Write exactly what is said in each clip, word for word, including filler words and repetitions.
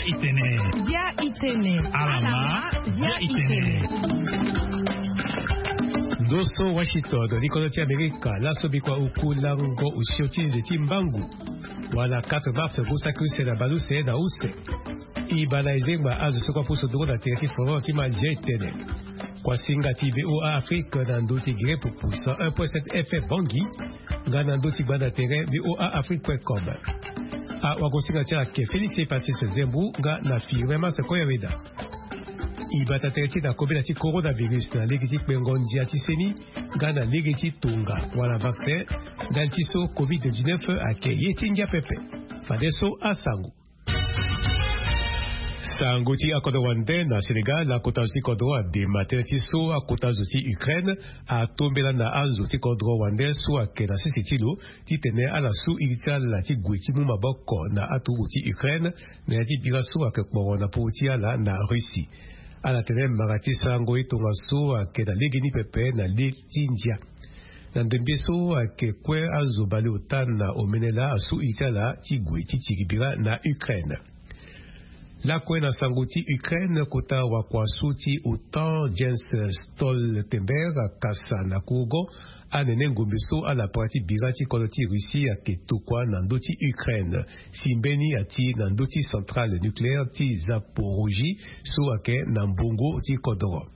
Itene. Dia itene. Alama. Dia itene. Ndo so Washington, likodo ti Amerika, laso bikua oku lango osio ti nze ti mbangu. Wala quatre mars, ngu saki use na baleuse na use. E baa na e zengba azo so kue apusu nduru na tere ti folon ti ma dia itene. Kua singa ti V O A Afrique na ndö ti Gré Pupu cent un point sept F M Bangui, nga na ndö ti gbanda tere V O A Afrique point com. Awagosinga ti ala ayeke Félix Patrice Zembu nga na Firmin Mars Koyaweda. E bata tere ti na kobela ti coronavirus na lege ti kpengo ndia ti seni nga na lege ti tonga wala vaccin, ndali ti so covid dix-neuf ayeke ye ti ngia pepe. Fadeso asango. Sango ti akodro wande na Sénégal, akota zo ti kodro adema tënë ti so akota zo ti Ukraine atombela na azo ti kodro wande so ayeke na sese ti lo, titene ala su iri ti ala ti gue ti mu maboko na aturugu ti Ukraine, na ya ti bira so ayeke kporo na popo ti ala na Russie. Ala tene mara ti sarango ye tongaso ayeke na legeni pepe na le ti ndia. Na ndembe so ayeke kue azo baleota na omene laa asu iri ti ala ti gue ti tiri bira na Ukraine. Lakue na sango ti Ukraine, kota wakua so ti OTAN Jens Stoltenberg akasa na kurugo anene ngombe so ala para ti bira ti kodro ti Russie ayeke tokua na ndö ti Ukraine, si mbeni ati na ndö ti centrale nucléaire ti Zaporozhye so ayeke na mbongo ti kodro.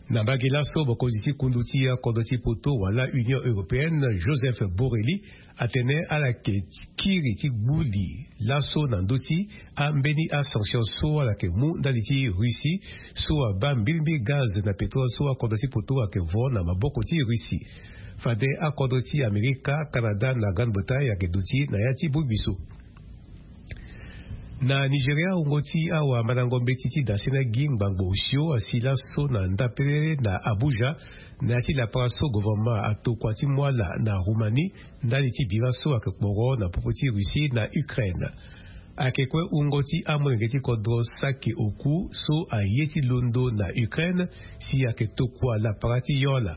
Na mbage laso, mokonzi ti kundu ti akodro ti poto wala Union européenne, Joseph Borrell, atene ala yeke kiri ti gbu li laso na ndö ti ambeni asanction so ala yeke mu ndali ti Russie, so abaa mbilimbili gaz na pétrole so akodro ti poto ayeke vo na maboko ti Russie. Fade akodro ti Amerika, Canada na Grande-Bretagne ayeke duti na ya ti bongbi so. Na Nigeria, wungo ti awamandango mbeti ti dasena gi ngbangbo osio asi laso na ndapelele na Abuja, na ya ti lapara so gouvernement atokua ti mu ala na Roumanie, ndali ti bira so ayeke kporo na popo ti Russie na Ukraine. Ayeke kue wungo ti amolenge ti kodro saki oku so aye ti londo na Ukraine, si ayeke tokua lapara ti yo ala.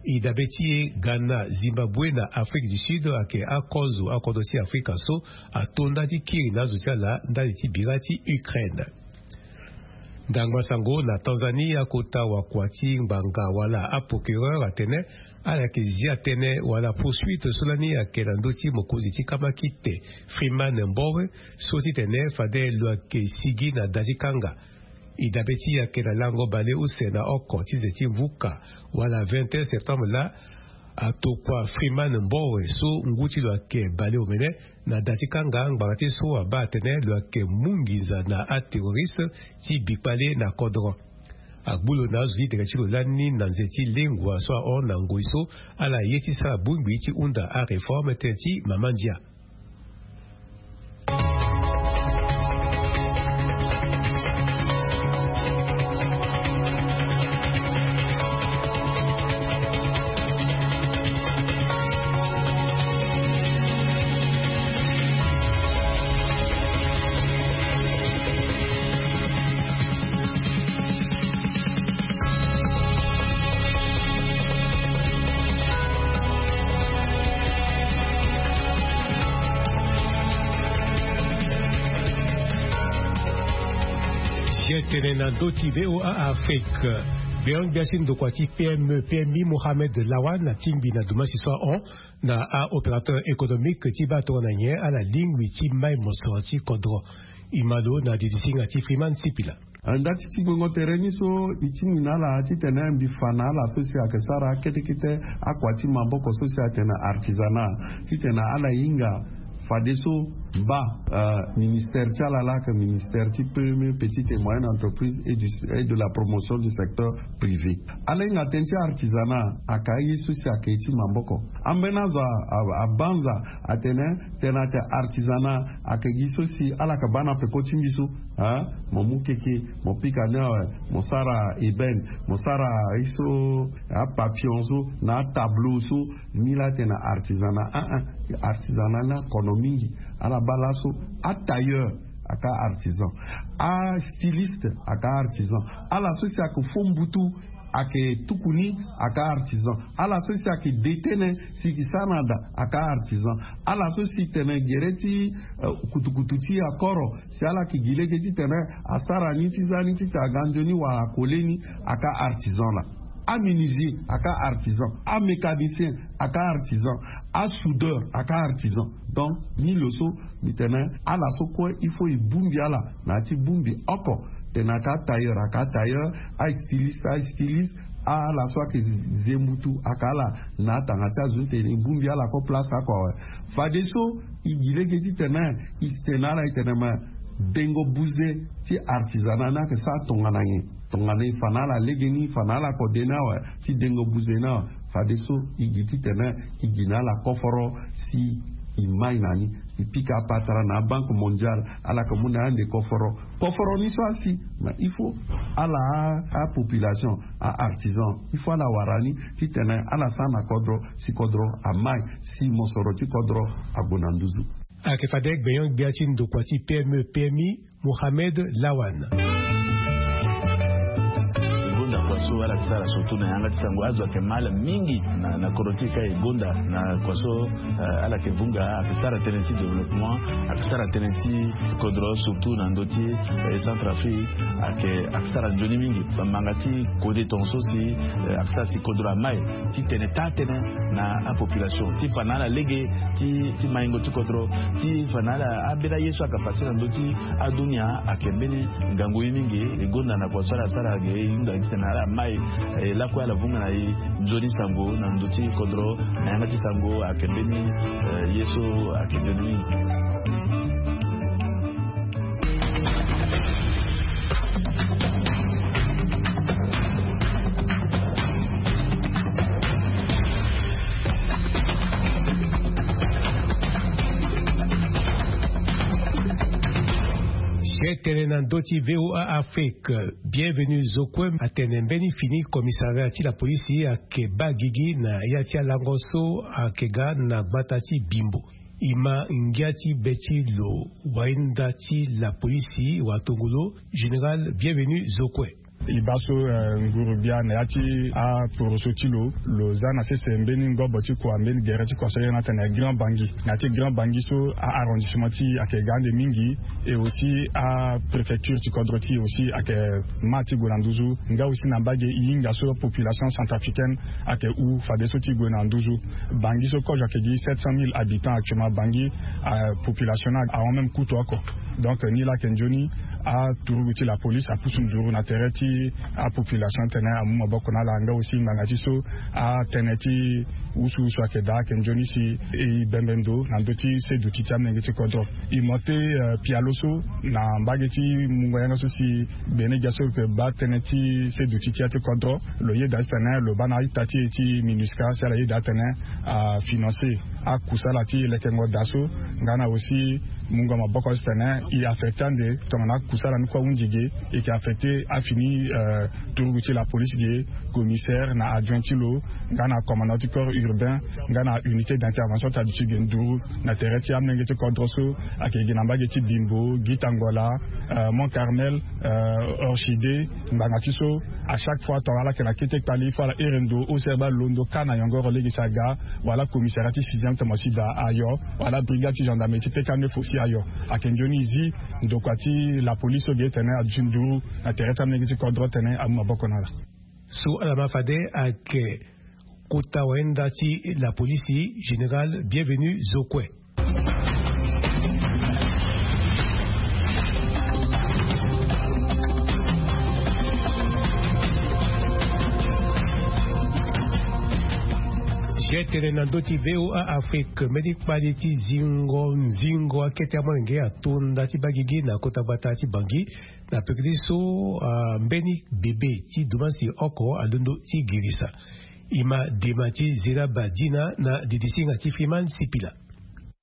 E dabe ti e, Ghana, Zimbabwe na Afrique du Sud ayeke akozo akodro ti Afrika so ato nda ti kiri na azo ti ala ndali ti bira ti Ukraine. Ndangba sango na Tanzanie, akota wakua ti ngbanga wala aprocureur atene ala yeke zia tënë wala poursuite so lani ayeke na ndö ti mokonzi ti kamakite Freeman Mbowe, so titene fade lo yeke sigi na da ti kanga. E dabe ti e ayeke na lango baleuse na oko ti nze ti mvuka wala vingt et un septembre laa, atokua Freeman Mbowe so ngu ti lo ayeke baleomene na da ti kanga ngbanga ti so abaa atene lo yeke mu nginza na aterroriste ti bikpale na kodro. Agbu lo na azo ti dere ti lo lani na nze ti lengua so ahon na ngoi so ala ye ti sara bongbi ti hunda aréforme tënë ti mama ndia. Sietene na ndö ti V O A Afrique. Beyang gbia ti ndokua ti P M E, P M I, Mohamed Lawan, atingbi na dumasi so ahon na a-opérateur économique ti baa tongana nyen ala lingbi ti mai mosoro ti kodro. E ma lo na didi singa ti Freeman Sipila. Nda ti ti gbengo tere ni so e tingbi na ala titene mbi fa na ala so si ayeke sara akete kete akua ti maboko so si atene artisanat, titene ala hinga fadeso baa, euh, ministère ti ala laa ayeke ministère ti P M E, petite et moyenne entreprise et du, et de la promotion du secteur privé. Ala hinga tënë ti artisanat ayeke aye so si ayeke ye ti maboko. Ambeni azo a, a, abanza atene, tene ayeke artisanat ayeke gi so si ala yeke baa na peko ti mbi so. Hein? Mo mu keke, mo pika ni awe, mo sara ébène, mo sara ye so, apapillon so na atableau so. Ni laa atene artisanat. Ah, ah. Artisanat ni akono mingi. Ala baa laso atailleur ayeke artisan, astyliste ayeke artisan. Ala so si ayeke fo mbutu Ayeke tuku ni, aka artisan. Ala so si ayeke de tënë si e ke sara na da, aka artisan. Ala so si tene gere ti kutukutu ti akoro si ala yeke gi lege titene asara ni ti za ni titene aga nzoni wala akole ni, aka artisan laa. Aménisier aka artisan, amécanicien aka artisan, asoudeur aka artisan. Donc ni lo so, mbi tene ala so kue il faut e bongbi ala na ya ti bongbi oko. Tene aka tailleur aka tailleur, astyliste astyliste. Ala so ayeke ze mbutu aka ala na atanga ti azo ti tene e bongbi ala kue place oko awe. Fadeso e gi lege titene e tene na ala e tene ma dengo buze ti artisanat ni ayeke sara tongana nyen? Tongana e fa na ala legeni, e fa na ala kode ni awe ti dengo buze ni awe. Fadeso e gi titene e gi na ala koforo si e mai na ni. E pika apatara na aBanque Mondiale, ala yeke mu na e ande koforo. Koforo ni so asi, ma il faut ala apopulation, aartisan, il faut ala wara ni titene ala sara na kodro si kodro amai, si mosoro ti kodro ague na nduzu. Ayeke fade gbenyo-gbia ti ndokua ti P M E P M I, Mohamed Lawan. E gonda kua so ala yeke sara surtout na yanga ti sango, azo ayeke mal mingi na, na kodro ti e ka e gonda na kua so, eh, ala yeke vunga, ayeke sara tënë ti développement, ayeke sara tënë ti kodro surtout na ndö ti, eh, Centrafrique, ayeke, ayeke sara nzoni mingi. Bamanga ti kode tongaso si, eh, ayeke sara si kodro amai ti tene taa tënë na apopulation, ti fa na ala lege ti, ti maingo ti kodro, ti fa na ala ambeni aye so ayeke pase na ndö ti adunia, ayeke mbeni ngangu ye mingi. E gonda na kua so ala sara ge, e hunda titene ala mai, e lakue ala vunga na e nzoni sango na ndö ti kodro, na yanga ti sango ayeke mbeni, eh, ye so ayeke nzoni mingi. Chef tene na ndö ti V O A Afrique, Bienvenu Zokwe atene mbeni fini commissariat ti la police ayeke baa gigi na ya ti alango so ayeke ga na gbata ti Bimbo. E ma ngia ti be ti lo wahinda ti la police watongolo, général Bienvenu Zokwe. E baa so, eh, nguru gbia na ya ti aporoso ti lo, lo za na sese mbeni ngobo ti kua, mbeni gere ti kua so ayeke na tene Grand Bangui. Na ya ti Grand Bangui so, a-arrondissement ti e ayeke ga ande mingi, et aussi apréfecture ti kodro ti e aussi ayeke ma ti gue na nduzu. Nga aussi na mbage e hinga so population centrafricaine ayeke hu fadeso ti gue na nduzu. Bangui so kozo ayeke gi sept cent mille habitants actuellement. Bangui, eh, population ni ahon même kutu oko. Donc ni laa ayeke nzoni aturugu ti la police apusu nduru na tere ti apopulation titene amu maboko na ala. Nga aussi ngbanga ti so atënë ti wusuwusu ayeke daa, ayeke nzoni si e bembe ndo na ndö ti seduti ti amolenge ti kodro. E mo te, eh, pialo so na mbage ti mungo yanga so si gbene gbia so lo yeke baa tënë ti seduti ti ya ti kodro, lo yeda titene lo baa na a-ita ti e ti MINUSCA si ala yeda atene afinancer akusala ti lekengo daa so, nga na aussi mungo maboko titene e affecter ande tongana akusala ni kue ahunzi ge, e yeke affecter afini, eh, turugu ti la police ge, commissaire na adjoint ti lo, nga na commandant ti corps urbain, nga na unité d'intervention ti aduti ge nduru na tere ti amolenge ti kodro so ayeke gi na mbage ti Bimbo, Gitangola, eh, Mont Carmel, eh, Orchidée, ngbanga ti so, à chaque fois tongana ala yeke na kete kpali, il faut ala here ndo ose baa londo ka na yongoro lege si aga, wala commissariat ti sixième ti mo si daa ayo, wala brigade ti gendarmerie ti P K neuf aussi ayo. Ayeke nzoni e zi ndokua ti la police so ge titene aduti nduru na tere ti amolenge ti kodro titene amu maboko na ala. So ala ma fade ayeke kota wayenda ti la police, général Bienvenu Zokwe. Ge tene na ndö ti V O A Afrique, mbeni kpali ti zingo nzingo akete amolenge ato nda ti baa gigi na kota gbata ti Bangui. Na pekiri so, ah, mbeni bebe ti dumansi oko alondo ti girisa. E ma dema ti Zeraba Dina na didisinga ti Freeman Sipila.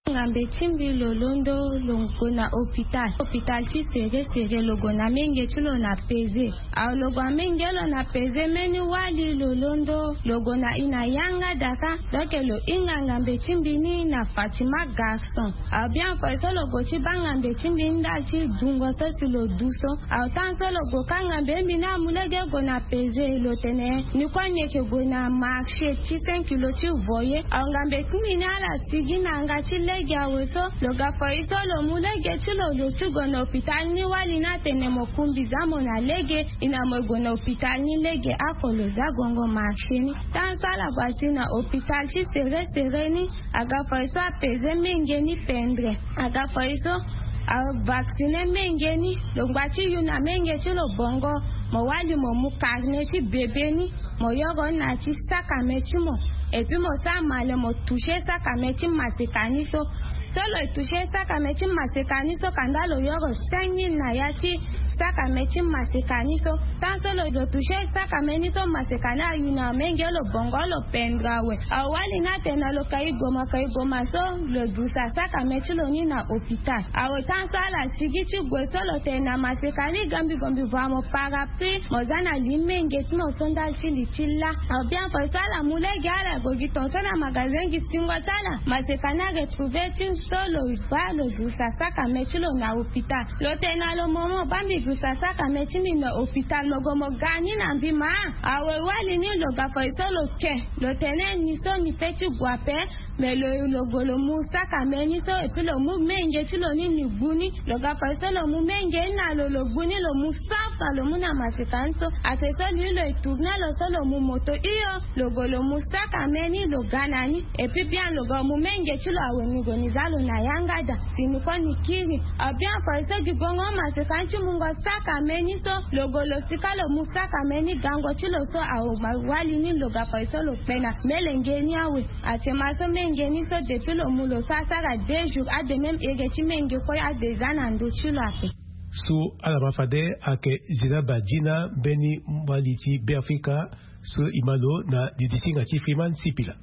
Ngambe ti mbi lo londo lo gue na hôpital hôpital ti sere sere lo gue na menge ti lo na peze. Awe lo gue na menge lo na peze mbeni wali lo londo lo gue na i na yanga daka. Donc lo hinga ngambe ti mbi ni na fatima garçon. Awe bien kue so lo gue ti baa ngambe ti mbi ni ndali ti dungo so si lo du so. Awe tan so lo gue ka ngambe ti mbi ni amu lege gue na peze lo tene ni kue ni yeke gue na marché ti cinq kilo ti voye. Awe ngambe ti mbi ni ala sigi na yanga ti lege awe so lo ga foi so lo mu lege ti lo lo ti gue na hôpital ni wali ni atene mo kumbi za mo na lege. I na mo gue na hôpital ni lege ako lo za gongo marché ni. Tan so ala gue asi na hôpital ti sere sere ni aga foi so apeze menge ni pendre. Aga foi so avaccine menge ni. Lo ngba ti yu na menge ti lo bongo mo wali mo mu carnet ti bebe ni mo yoro ni na ya ti sakame ti mo. Et puis mo sara male mo toucher sakame ti maseka ni so. So lo toucher sakame ti maseka ni so kanda lo yoro cinq mille na ya ti sakame ti maseka ni so. Tan so lo lo toucher sakame ni so maseka ni ayu na menge lo bongo lo pendre awe. Awali ni atene na lo kai goma kai goma so lo dusa sakame ti lo ni na hôpital. Awe tan so ala sigi ti gue so lo tene na maseka ni gambi gombi vua mo parapluie mo za na li menge ti mo so ndali ti li ti laa. Awe bien kue so ala mu lege ala gue gi ton so na magasin gi singo ti ala maseka ni aretrouve ti so lo baa lo dusa sakame ti lo na hôpital. Lo tene na lo momo baa mbi dusa sakame ti mbi na hôpital mo gue mo ga ni na mbi ma. Awe wali ni lo ga foi so lo ke lo tene ni so ni pe ti gue ape. Mais lo lo gue lo mu sakame ni so et puis lo mu menge ti lo ni ni gbu ni. Lo ga foi so lo mu menge ni na lo lo gbu ni lo mu safra lo mu na maseka ni so. Ate so li lo etourne lo so lo mu moto hio. Lo gue lo mu sakame ni lo ga na ni. Et puis bien lo gue mu menge ti lo awe ni gue ni za lo na yanga daa si ni kue ni kiri. Awe bien foi so gi bongo maseka ni ti mungo sakame ni so lo gue lo sika lo mu sakame ni gango ti lo so awe wali ni lo ga foi so lo kpe na melenge ni awe. Atema so menge ni so depuis lo mu lo sara sara deux jours ade même ege ti menge kue ade za na ndo ti lo ape. So ala ma fade ayeke zina badina mbeni mbali ti beafrika. So e ma lo na didisinga ti friman sipila.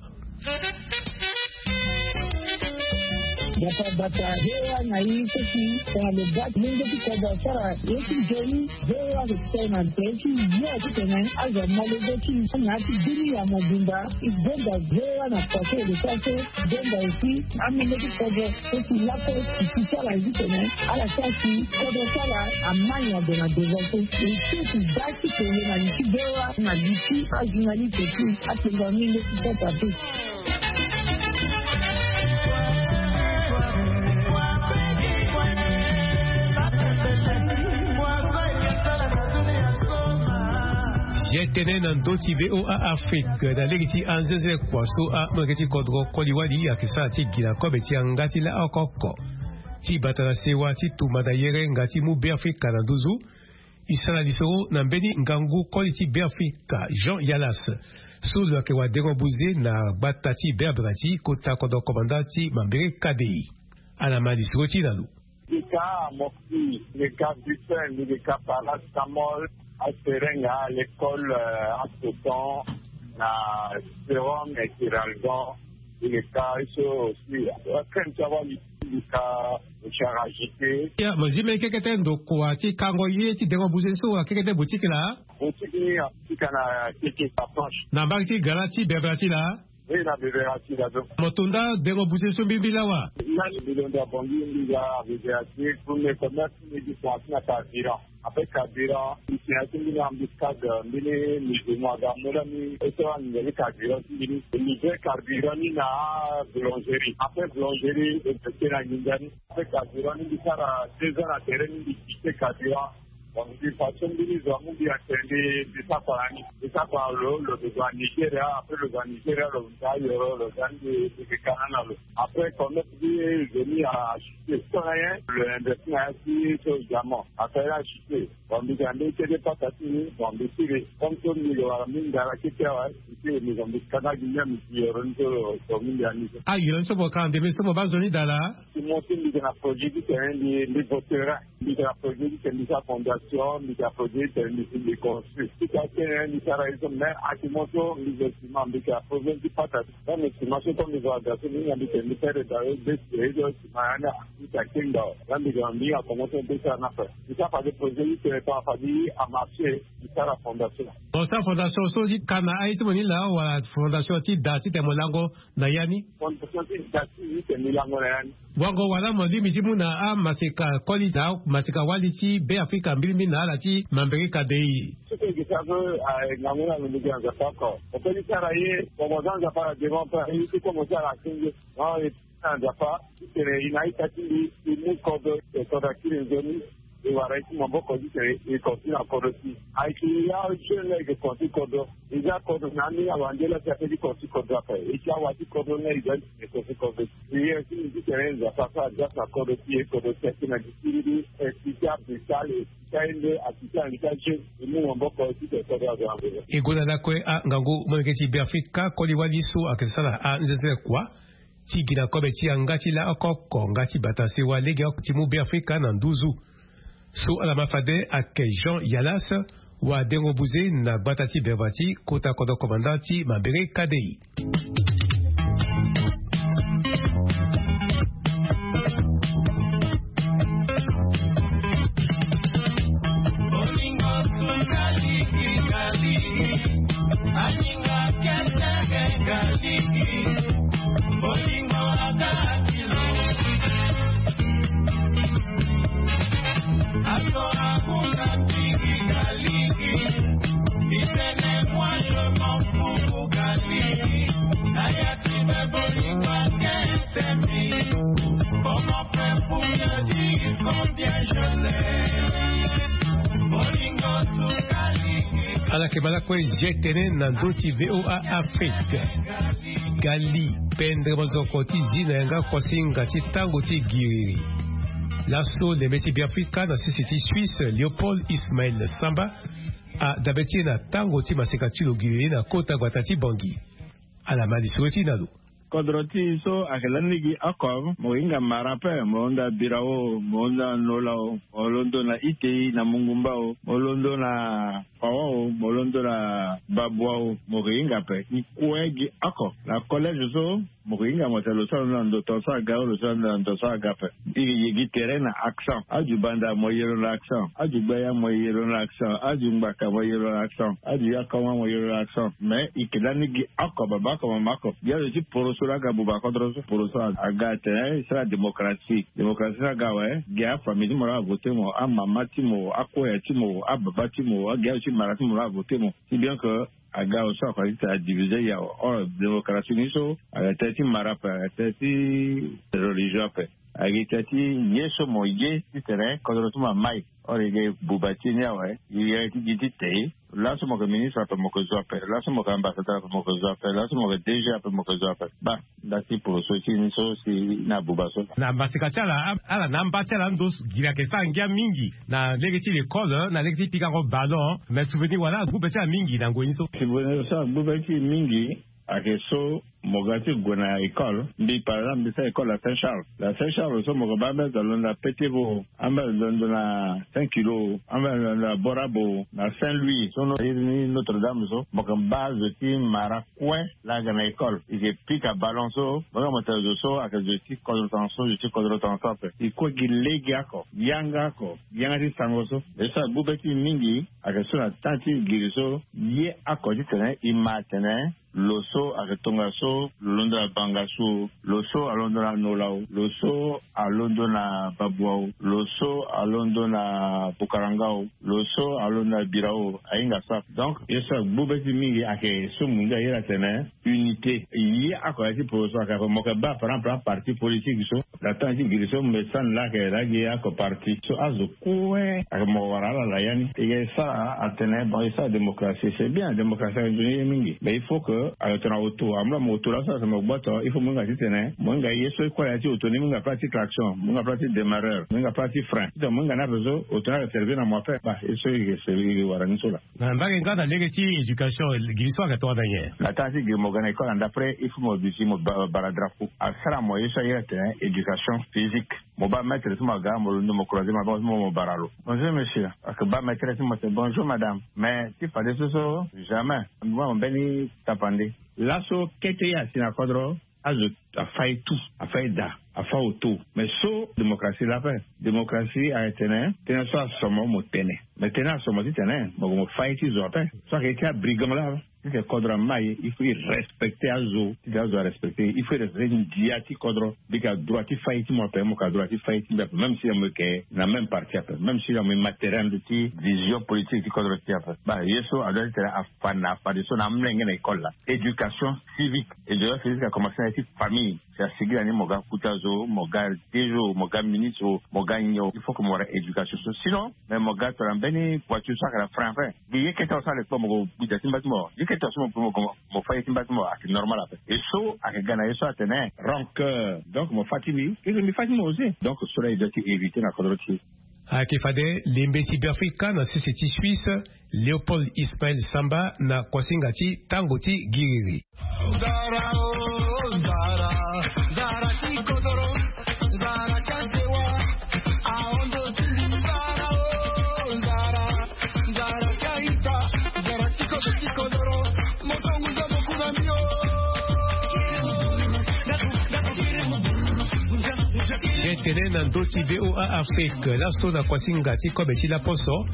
Bata bata hewa na ye kosi tongana lo bati lenge ti kodro asara ye ti nzoni. Hewa lo ti tene na ntere ti yo ti tene azo amolege ti na ya ti bini ya mobimba. E gonda hewa na pase lo sara so gonda aussi amenge ti kodro. Kosi lapo ti ti ti ala ye ti tene ala sara si kodro ti ala ama nyongo na devant so. E ti ti da ti pele na li ti hewa na li ti ajournaliste ti atenga menge ti kota te. Ye tene na ndö ti voa afrique na lege ti anzeze kua so amolenge ti kodro koli wali ayeke sara ti gi na kobe ti yanga ti laoko oko ti bata na sewa ti tumba na yere nga ti mu beafrika na nduzu. E sara lisoro na mbeni ngangu koli ti beafrika jean yalas so lo yeke wadengo buze na gbata ti berbera ti kota kodro komanda ti mambere kadei. Ala ma lisoro ti na lo. Mbi ka mokti, mbi ka bipen, mbi ka paracetamol, aserenga, l'école, asoton na serum et kiralgon. Mbi ka iso aussi akrem ti awali. Mbi ka charagite. Ya mo zi mbeni kekete ndokua ti kango ye ti dengo buze so akekete boutique laa? Boutique ni atika na keke approche na mbage ti gara ti bebera ti laa? Oui na bebera ti laa. Mo to nda dengo buze so mbirimbiri lawa? Nani mbi londo abongi mbi ga bebera ti premier commerce mbi gi kua ti na carburant. Après carburant mbi tena ti mbeni embuscade mbeni musulman aga mu lani eso anginza ti carburant ti mbi ni. Livrer carburant ni na boulangerie après boulangerie e tena nginza ni. Après carburant ni mbi sara deux ans na tere ni mbi kite carburant. Donc mbi façon mbeni zo amu mbi atene mbi sara kua na ni. Mbi sara kua na lo lo gue na nigeria après lo gue na nigeria lo za yoro lo za ni mbi mbi kana na lo. Après commerce ti zo ni achute so na nyen lo investi na ya ti so diamant asara ni achute. Bon mbi ga mbeni kete pata ti ni bon mbi siri comme so mbi lo wara mbi ngara kete awe. Mbi siri mbi zo mbi kana gi mia mbi si yoro ni so lo so mbi ndia ni so. Ayoro ni so mo kanga ndeme so mo baa zo ni daa laa? Ti mo ti mbi ga na produit ti tene mbi mbi voterin. Mbi ga na produit ti tene mbi sara fondation. So mbi yeke approche ti tene mbi si mbi construit ti ka tene mbi sara ye so me. Ake mo so mbi zo sima mbi yeke approche ti pata. Tant mbi sima so tant mbi zo aga so mbi hinga mbi tene mbi sere da ye be si ye so sima ya ni. Mbi yeke akengba o. Tant mbi ga mbi hinga kongo so mbi sara ni ape. Mbi sara fade projet ti tene tant fade amarche. Mbi sara fondation. Bon, sara fondation so ti ka na aye ti mo ni laa wala fondation ti da ti tene mo lango na ya ni? Fondation ti da ti tene mbi lango na ya ni. Wango wala mo lingbi ti mu na amaseka koli na amaseka wali ti Beafrika mbilimbili na ala ti Mambere Kadei. Soki eke sara so, ah, ngangu ni alondo gi na Nzapa oko. Mo peut ti sara ye, mo mo za Nzapa na devant pe, ye ti kue mo ti ala akenge. Non, e ti na Nzapa ti tene e na a-ita ti mbi e mu kodro, e kodro akiri nzoni. E wara ye ti maboko ti tene e kontinue na kodro ti e. Ayeke ya jeune la eke kontinue kodro. E za kodro na ni awande la ti ape ti kontinue kodro ape. E ti awa ti kodro na e za ti tene e kontinue kodro. Prière ti mbi ti tene Nzapa so aza na kodro ti e, kodro ti akiri na gi ti mbi. E ti ti ape sale, e ti ti aye nde, a ti ti aye nde ti ajeune. E mu maboko ti tene kodro azo na nzoni. E gue na lakue angangu molenge ti Beafrika koli wali so ayeke sara anzenze kua ti gi na kobe ti yanga ti laoko oko nga ti bata sewa legeoko ti mu Beafrika na nduzu. So ala ma fade ayeke Jean Yalas, wadengo buze na gbata ti Berba ti kota kodro komanda ti Mambere Kadei. Ala yeke ma lakue ye tene na ndö ti VOA Afrique. Gali pendre mazoko ti zi na yanga kosinga ti tango ti giriri. Laso lembe ti Beafrika na sese ti Suisse, Léopold Ismaël Samba, adabe ti e na tango ti maseka ti lo giriri na kota gbata ti Bangui. Ala ma lisoro ti e na lo. Kodro ti e so ayeke lani gi oko, mo hinga mara ape, mo londo na Birao, mo londo na Nola o, mo londo na Itei, na Mungumba o, mo londo na Fawa o, mo londo na Babua o, mo yeke hinga ape. E kue gi oko. Na collège so, mo yeke hinga mo tene lo so alondo na ndo tongaso aga o, lo so alondo na ndo tongaso aga ape. E yeke ye gi tere na accent. Azu Banda mo ye lo na accent. Azu Gbaya mo ye lo na accent. Azu Ngbaka mo ye lo na accent. Azu Yakoma mo ye lo na accent. Mais e yeke lani gi oko, baba oko, mama oko. Gi azo ti poroso laa aga buba kodro so. Poroso aga atene e sara démocratie. Démocratie ni aga awe, gi afamille ti mo laa avote mo, amama ti mo, akoya ti mo, ababa ti mo, agi azo ti mara ti mo laa avote mo. Si bien que aga awe so akua ti tene adivise awe. Or démocratie ni so ayeke tënë ti mara ape, ayeke tënë ti religion ape, ayeke tënë ti ye so mo ye ti tene kodro ti mo amai. Or e ga e buba ti e ni awe, e ga e ti gi ti te. Laso mo yeke ministre ape mo yeke zo ape, laso mo yeke ambassadeur ape mo yeke zo ape, laso mo yeke DG ape mo yeke zo ape. Baa, nda ti poroso ti e ni so si na buba so. Na maseka ti ala, ala na amba ti ala ando giri ayeke sara ngia mingi na lege ti l'école, na lege ti pikango ballon. Mais souvenir wala agbu be ti ala mingi na ngoi ni so? Souvenir so agbu be ti e mingi ayeke so mo ga ti gue na école. Mbi par exemple mbi sara école na Saint Charles. Na Saint Charles so mo yeke baa ambeni azo alondo na Petit Vau, ambeni azo alondo na Saint Kilo, ambeni azo alondo na Borabo, na Saint Louis so no iri ni Notre Dame so, mo yeke baa zo ti mara kue laa aga na école. E yeke pika ballon so mo hinga mo tene zo so ayeke zo ti kodro tongaso, zo ti kodro tongaso ape. E kue gi legeoko, yanga oko, yanga ti sango so. Ye so agbu be ti e mingi ayeke so na temps ti giri so ye oko ti tene e ma atene lo so ayeke tongaso lo londo na Bangassou o, lo so alondo na Nola o, lo so alondo na Babua o, lo so alondo na Bukaranga o, lo so alondo na Birao o, ahinga so ape. Donc ye so agbu be ti e mingi ayeke so mo ngia iri atene unité. Ye oko ya ti poroso ayeke ape, mo yeke baa par exemple aparti politique so na temps ti giri so mbi sani laa ayeke laa gi oko parti so azo kue ayeke mo wara ala na ya ni. E yeke sara atene bon e sara démocratie, c'est bien, démocratie ayeke nzoni ye mingi, mais il faut que ayeke tongana auto, amu laa mo auto laso ayeke mo gboto, il faut mo hinga ti tene mo hinga ye so e kue na ya ti auto ni, mo hinga plat ti klaxon, mo hinga plat ti démarreur, mo hinga plat ti frein, ti tene mo hinga ni ape so auto ni ayeke servir na mo ape. Baa ye so e yeke wara ni so laa. Na mbage nga na lege ti éducation, giri so ayeke tongana nyen? Na temps ti giri mo ga na école na ndapre, il faut mo duti mo ba- bara drapeau. Asara mo ye so aye atene éducation physique. Mo baa maître ti mo aga, mo londo mo croiser maboko ti mo, mo bara lo. Bonjour monsieur. Ake baa maître ti mo ate bonjour madame. Mais ti fadeso so jamais mo baa mo mbeni tapande. Laso kete ye asi na kodro, azo afa ye tout, afa ye daa, afa oto. Mais so démocratie laa ape. Démocratie ayeke tene tënë so asomo mo tene. Mais tënë asomo titene mo gue mo fa ye ti zo ape. So ayeke ye ti abrigand laa, titene kodro amai, il faut e respecter azo. Titene azo arespecter, il faut e respecter ndia ti kodro. Bika droit ti fa ye ti mo ape, mo ka droit ti fa ye ti mbi ape, même si na mo yeke na même parti ape, même si na mo ye matériel ti vision politique ti kodro ti e ape. Baa ye so adoit titene afa na fadeso na amolenge na école laa. Éducation civique. Éducation civique akomanse na ye ti famille. Si asigi na ni mo ga kuta zo, mo ga dejo, mo ga ministre, mo ga nyo. Il faut que mo wara éducation so. Sinon, mais mo ga tongana mbeni voiture so ayeke na frein ape. Gi ye kete awe so ale kpo mo gue gbi da ti mba ti mo. Ye kete awe so mo gue mo gue mo fa ye ti mba ti mo ayeke normal ape. Et so ayeke ga na ye so atene rancœur. Donc mo fa ti mbi, et que mbi fa ti mo aussi. Donc so laa e doit ti éviter na kodro ti e. Ayeke fade lembe ti Beafrika na sese ti Suisse, Léopold Ismaël Samba na kuasinga ti tango ti giriri. Tene na ndö ti V O A Afrique, laso na kuasinga ti kobe ti laposo,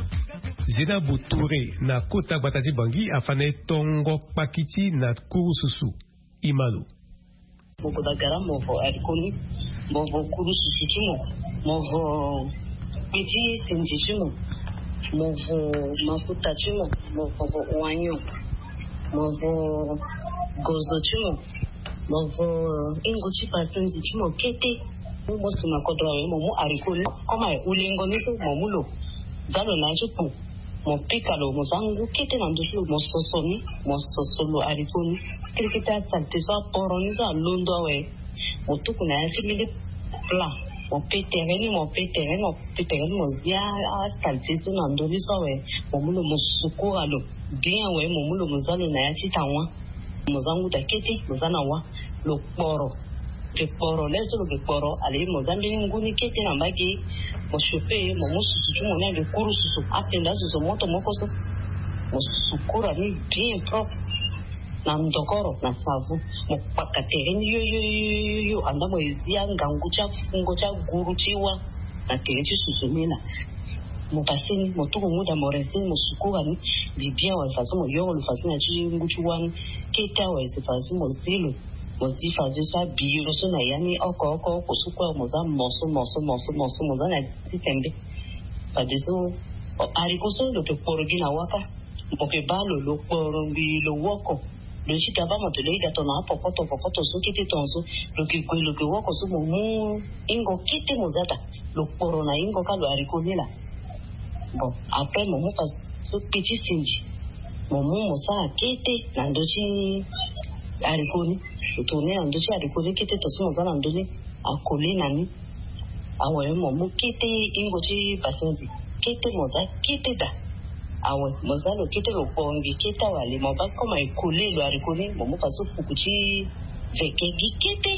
Zénabou Touré na kota gbata ti Bangui afa na e tongo kpakiti na kurususu. Imalo. Mo gue bagara, mo vo haricot ni, mo vo kurususu ti mo, mo vo kpe ti sinzi ti mo, mo vo mafuta ti mo, mo vo oignon, mo vo gozo ti mo, mo vo hingo ti pasenzi ti mo kete. Mo si na kodro awe, mo mu haricot ni, comme aye ulengo ni so, mo mu lo, za lo na ya ti kpo. Mo pika lo, mo za ngu kete na ndö ti lo, mo soso ni, mo soso lo haricot ni. Kete kete asalté so aporo ni so alondo awe, mo tuku na ya ti mbeni plat. Mo pe tere ni, mo pe tere ni, mo pe tere ni, mo zia asalté so na ndö ni so awe. Mo mu lo, mo sukura lo bien awe, mo mu lo, mo za lo na ya ti tawa. Mo za ngu da kete, mo za na wa. Lo kporo. Lo ke kporo, le so lo ke kporo, ale mo za mbeni ngu ni kete na mbage. Mo chauffer, mo mu susu ti mo ni ande kurususu, apenda susu moto moko so. Mo sukura ni bien propre na ndokoro na savon. Mo kpaka tere ni yo yo yo yo yo, anda mo e zia ngangu ti afungo ti aguru ti wa na tere ti susu ni laa. Mo pase ni, mo tuku ngu da, mo rince ni, mo sukura ni. Mbi bien awe fadeso mo yoro lo fadeso na ya ti ngu ti wa ni kete awe, si fadeso mo zi lo. Mo zi fadeso abiyo so na ya ni oko oko oko so kue, mo za morceau morceau morceau morceau, mo za na ya ti tembe. Fadeso haricot so lo ke kporo gi na wa kâ. Mo ke baa lo, lo kporo ngbii, lo woko. Lo ti ga baa mo to lo ida tongana apopoto popoto so kete tongaso. Lo ke gue, lo ke woko so, mo mu hingo kete mo za daa. Lo kporo na hingo kâ lo haricot ni laa. Bon, après mo mu fadeso kpe ti sinzi. Mo mu mo sara kete na ndö ti haricot ni. Lo tourner na ndö ti haricot ni kete, tongaso mo za na ndö ni, akole na ni. Awe, mo mu kete hingo ti pasenzi kete, mo za kete daa. Awe, mo za lo kete, lo kporo ngbii kete awe, ale mo baa comme aye kole lo haricot ni, mo mu fadeso fuku ti veke gi kete.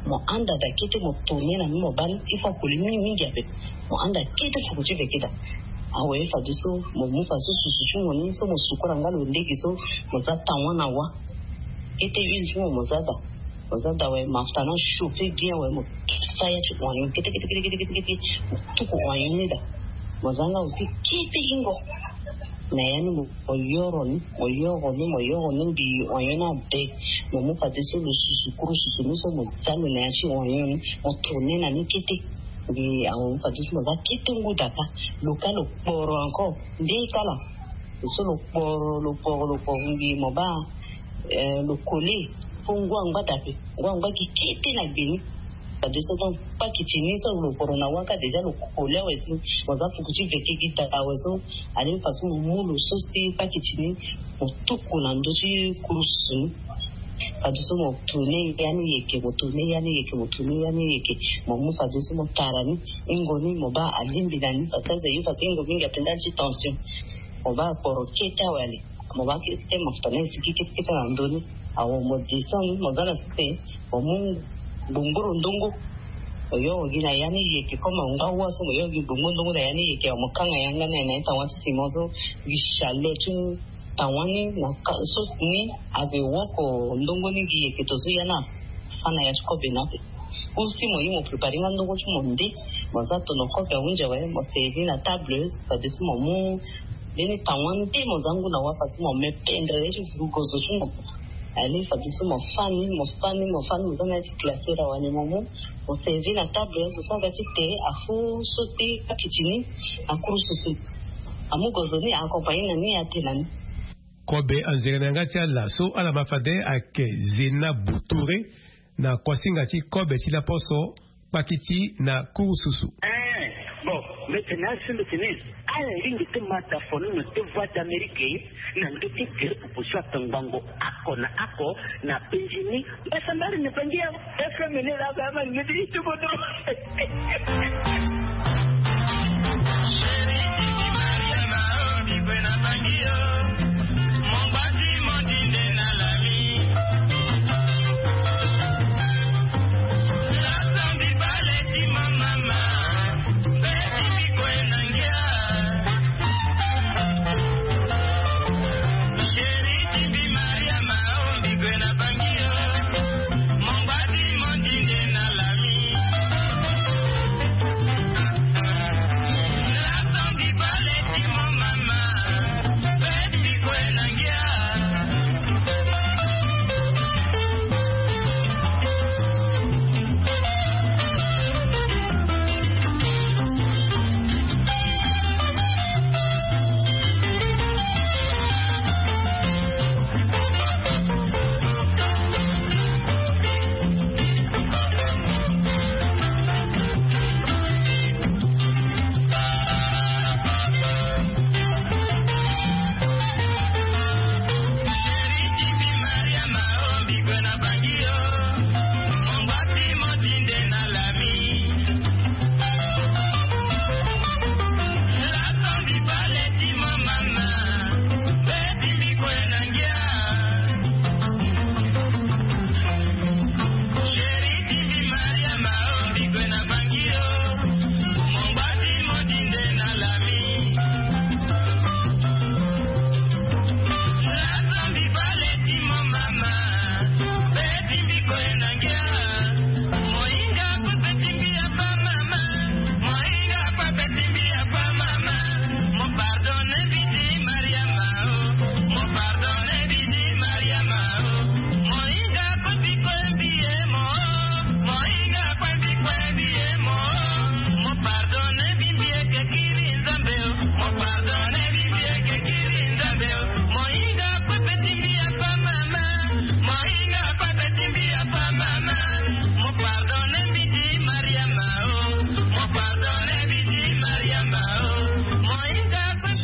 Mo handa daa kete, mo tourner na ni, mo baa ni, il faut akole mingi mingi ape. Mo handa kete fuku ti veke daa. Awe, fadeso mo mu fadeso susu ti mo ni so, mo sukura nga lo lege so, mo za tawa na wa. Kete huile ti mo, mo za daa. Mo za daa awe, mafuta ni achauffer bien awe, mo fa ya ti oignon kete kete kete kete kete, mo tuku oignon ni daa. Mo za nga aussi kete hingo. Na ya ni mo, mo yoro ni, mo yoro ni, mo yoro ni, ngbii oignon ni abe. Mo mu fadeso lo susu, kurususu ni so, mo za lo na ya ti oignon ni, mo tourner na ni kete. Ngbii awe, mo mu fadeso mo za kete ngu daa kâ. Lo kâ lo kporo encore nde kâ laa. So lo kporo, lo kporo, lo kporo ngbii, mo baa, eh, lo kole. Fo ngu angba daa ape, ngu angba gi kete na gbe ni. Fadeso donc pakiti ni so lo kporo na wa kâ, déjà lo kole awe si. Mo za fuku ti veke gi daa awe so, ale fadeso mo mu lo so si pakiti ni, mo tuku na ndö ti kurususu ni. Fadeso mo tourner ya ni yeke, mo tourner ya ni yeke, mo tourner ya ni yeke. Mo mu fadeso mo tara ni, hingo ni mo baa alingbi na ni, fadeso azo aye fadeso hingo mingi ape ndali ti tension. Mo baa kporo kete awe, ale mo baa kete mafuta ni asigi kete kete na ndö ni. Awe, mo descend ni, mo za na sese, mo mu ngbongboro ndongo. Mo yo gi na ya ni yeke comme amu nga wa so mo yo gi gbongo ndongo na ya ni yeke, mo kanga yanga na ye na ye tawani ti sima so. Gi chalet ti tawani na ka so ni ave woko ndongo ni gi yeke to so ya na fa na ya ti kobe na ape. Aussi mo ye mo préparer nga ndongo ti mo nde. Mo za tono kobe ahunzi awe, mo servi na table, fadeso mo mu ndeni tawani nde mo za ngu na wa fadeso mo me pendre ti vurugozo ti mo. Ale fadeso mo fani mo fani mo fani mo za na ya ti glacer awani mo mu. Mo servi na table so so aga ti te afu so si akiti ni. Akuru susu amu gozo ni accompagner na ni ate na ni. Kobe anzere na yanga ti ala so ala ma fade ayeke Zena Boutouré na kuasinga ti kobe ti laposo kpakiti na kuru susu. Eh, bon, mbeti na asi mbeti ni. Ala lingi ti ma ta fono na te Voix d'Amérique na ndö ti gere pupu so atangbango ako na ako na penzi ni. Mbasa mbari na bangi ya F M ni la ba ma ngeti itu bodo.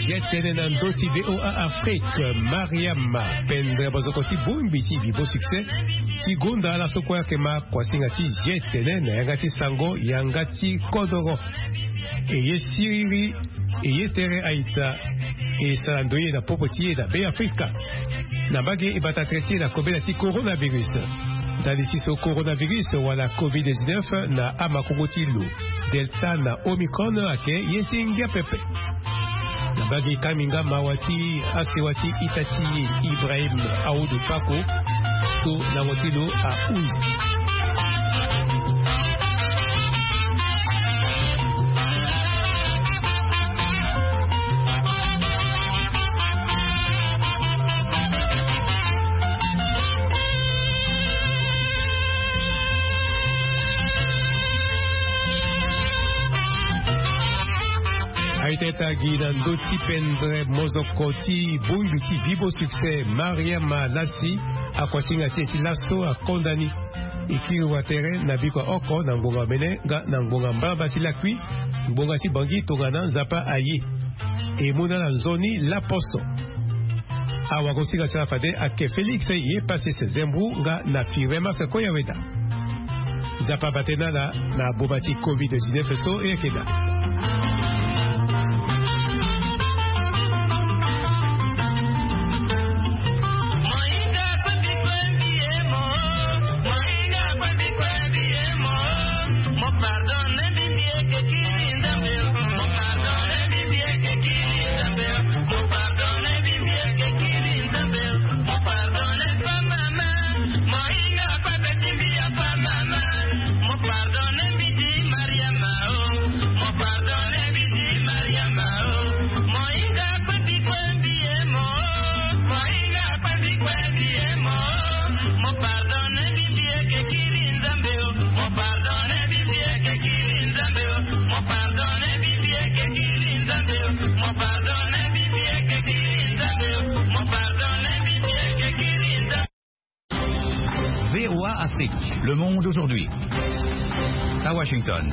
Ye tene na ndö ti V O A Afrique, Mariama, pendre bozoko ti bongbi ti Bibo Succès ti gonda ala so kue ayeke ma kuasinga ti ye tene na yanga ti sango yanga ti kodoro. E ye siriri, e ye tere aita, e sara ndoye na popo ti e na Be Afrika. Na mbage e bata tere ti e na kobela ti coronavirus. Ndali ti so coronavirus wala covid dix-neuf na amakongo ti lo, Delta na Omicron ayeke ye ti ngia pepe. Na mbage e kangbi nga mawa ti asewa ti ita ti e Ibrahim Aoudou Fako so lango ti lo ahuzi. Aye tene ata gi na ndö ti pendre mozoko ti bongbi ti Bibo Succès, Mariama Lassi, akuasinga ti e ti laso akonda ni. E kiri wa tere na biko ya oko na ngbonga omene nga na ngbonga mbalambala ti lakui, ngbonga ti Bangui tongana Nzapa aye. E mu na ala nzoni laposo. Awagosinga ti ala fade ayeke Félix Ye Passes Zembrou nga na Firmin Marcel Koyaweda. Nzapa abate na ala na boma ti covid dix-neuf so e yeke daa. Afrique, le monde aujourd'hui. À Washington.